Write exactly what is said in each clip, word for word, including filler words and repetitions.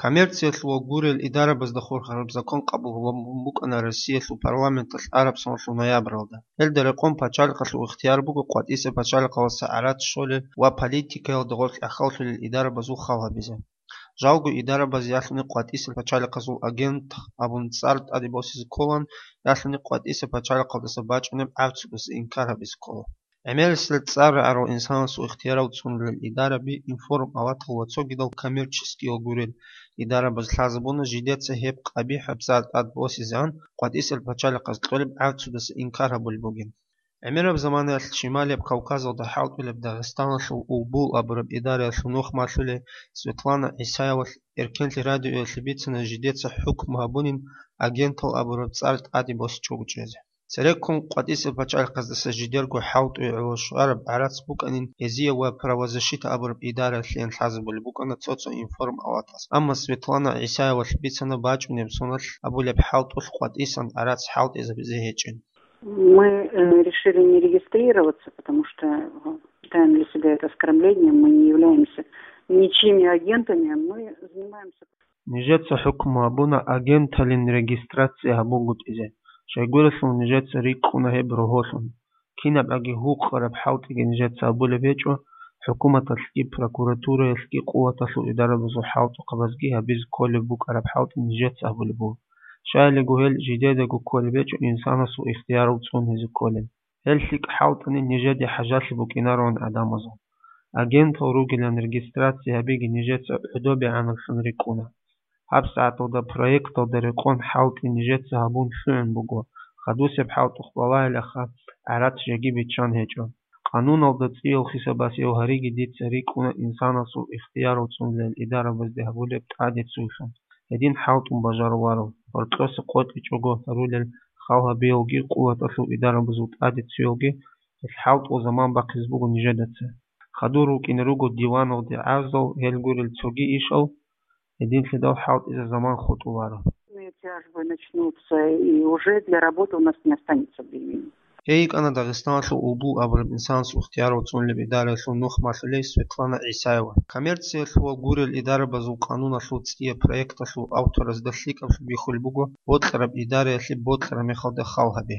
Коммерциялъул ва гурел идарабазда хурхараб закон къабул гьабун букӀана Россиялъул парламенталъ араб соналъул ноябралда. Гьелда рекъон пачалихъалъул ихтияр буго къватӀисеб пачалихъалдаса гӀарац щолел ва политикаялда гъорлъ ахӀаллъулел идарабазул хал гьабизе. Жалго идарабаз ялъуни къватӀисел пачалихъазул агент абун цӀар тӀаде босизе кколан, ялъуни къватӀисел пачалихъалдаса бачӀунеб гӀарцудаса инкар гьабизе ккола. ГӀемерисел цӀар рагӀарал инсанасул ихтиярал цӀунулел идараби информпалатал ва цогидал коммерческиял гурел идарабаз лъазабуна жидеца гьеб къабихӀаб цӀар тӀад босизегӀан къватӀисел пачалихъаз кьолеб гӀарцудаса инкар гьабулеб бугин. ГӀемераб заманаялъ Шималияб Кавказалда хӀалтӀулеб Дагъистаналъул Улбул абураб идараялъул нухмалъулей Светлана ГӀисаевалъ Эркенлъи радиоялъе бицана жидеца хӀукму гьабунин агентал абураб цӀар тӀаде босичӀого чӀезе. Цереккун къватӀисел пачалихъаздаса жидерго хӀалтӀуе гӀоло щвараб гӀарац букӀанин гьезие ва правозащита абураб идараялъеян лъазабулеб букӀана цо-цо информпалатас. Амма Светлана ГӀисаевалъ бицана бачӀунеб соналъ абулеб хӀалтӀулъ къватӀисан гӀарац хӀалтӀизабизе гьечӀин. Мы э, решили не регистрироваться, потому что э, считаем для себя это оскорблением, мы не являемся ничьими агентами, мы занимаемся Нижеца хӀукму гьабуна агенталин регистрация гьабунгутӀизе, щайгурелъул нижеца рикӀкӀуна гьеб рогьолъун. КинабгӀаги гьукъараб хӀалтӀиги нижеца гьабулеб гьечӀо, хӀукуматалъги прокуратураялъги къуваталъул идарабазул хӀалтӀухъабазги гьабизе кколеб букӀараб хӀалтӀи нижеца гьабулеб буго. Щайилего гьел жидедаго кколеб гьечӀо инсанасул ихтиярал цӀун гьезе кколел. Гьел лъикӀ хӀалтӀани нижеде хӀажалъи букӀинароан гӀадамазул. Агентал ругилан регистрация гьабиги нижеца гӀодобегӀанаблъун рикӀкӀуна. ГьабсагӀаталда проекталда рекъон хӀалтӀи нижеца гьабун лъугӀун буго, хадусеб хӀалтӀухъ балагьилаха, гӀарац жеги биччан гьечӀо. Къануналда цӀиял хисабасев гьариги дица рикӀкӀуна инсанасул ихтиярал цӀунулел идарабазде гьабулеб тӀаде цуйлъун. Гьедин хӀалтӀун бажаруларо, гьоркьоса къотӀичӀого гьарулел хал гьабиялги къуваталъул идарабазул тӀаде цуялги, гьел хӀалтӀул заман бахъизе буго нижедаца. Хадур рукӀине руго диваналде гӀарзал, гьел гурел цоги ишал, гьединлъидал хӀалтӀизе заман хутӀуларо. Тяжбы начнутся, и уже для работы у нас не останется времени. Гьей йикӀана Дагъистаналъул Улбул абураб инсанасул ихтиярал цӀунулеб идараялъул нухмалъулей Светлана ГӀисаева. Коммерциялъул ва гурел идарабазул къануналъул цӀияб проекталъул авторазда лъикӀаблъун бихьулеб буго бокьараб идараялъе бокьараб мехалда хал гьаби.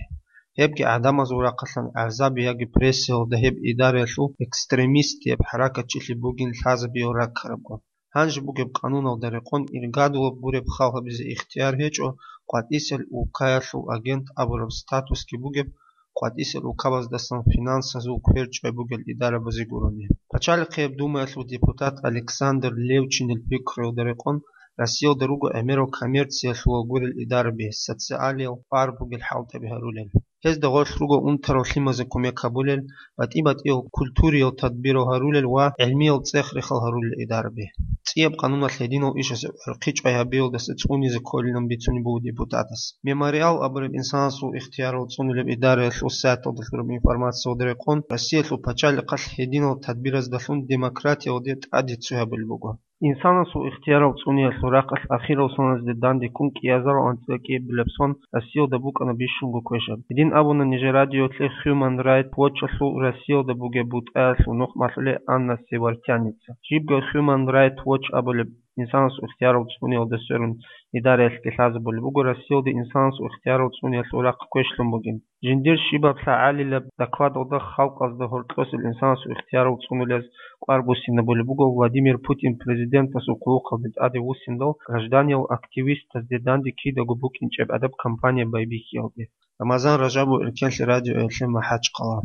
Гьебги гӀадамазул рахъалъан гӀазаби яги прессиялда гьеб идараялъул экстремистияб хӀаракатчилъи бугин лъазабиял раккарабго. Гьанже бугеб къануналда рекъон иргадулаб гуреб хал гьабизе ихтияр гьечӀо къватӀисел улкаялъул агент абураб статусги бугеб къватӀисел улкабаздасан финансазул квер чӀвай бугел идарабазе гурони. Пачалихъияб Думаялъул депутат Александр Левчинил пикруялда рекъон, Россиялда руго гӀемерал коммерциялъул гурел идараби, социалиял пар бугел хӀалтӀаби гьарулел. Гьезда гъорлъ руго унтарал лъимазе кумек гьабулел, батӀи-батӀиял культуриял тадбирал гьарулел ва гӀилмиял цӀех-рехал гьарулел идараби. ЦӀияб къануналъ гьединал ишазе гӀурхъи чӀвай гьабиялдаса цӀунизе кколилан бицунеб буго депутатас. Мемориал абураб инсанасул ихтиярал цӀунулеб идараялъул сайталда лъураб информациялда рекъон, Россиялъул пачалихъалъ гьединал тадбираздалъун демократиялде тӀаде цуй гьабулеб буго. Инсанасул ихтиярал цӀуниялъул рахъалъ ахирал соназде дандеккун кӀиазарал анцӀила кӀиабилеб сон Россиялда букӀана бищунго квешаб. Гьедин абуна нижер радиолъе Human Rights Watch-алъул Россиялда бугеб бутӀаялъул нухмалъулей Анна Севартьяница. Жибго Human Rights Watch абулеб инсанасул ихтиярал цӀуниялда сверун идараялъги лъазабулеб буго Россиялда инсанасул ихтиярал цӀуниялъул рахъ квешлъун бугин. Жиндир щибаб лъагӀалилаб докладалда халкъазда гьоркьосел инсанасул ихтиярал цӀунулез кӀвар буссинабулеб буго Владимир Путин президентасул хъулухъалде тӀаде вуссиндал гражданиял активистазде данде кидаго букӀинчӀеб гӀадаб кампания байбихьиялде. Рамазан Ражабов, Эркенлъи радиоялъе, МахӀачхъала.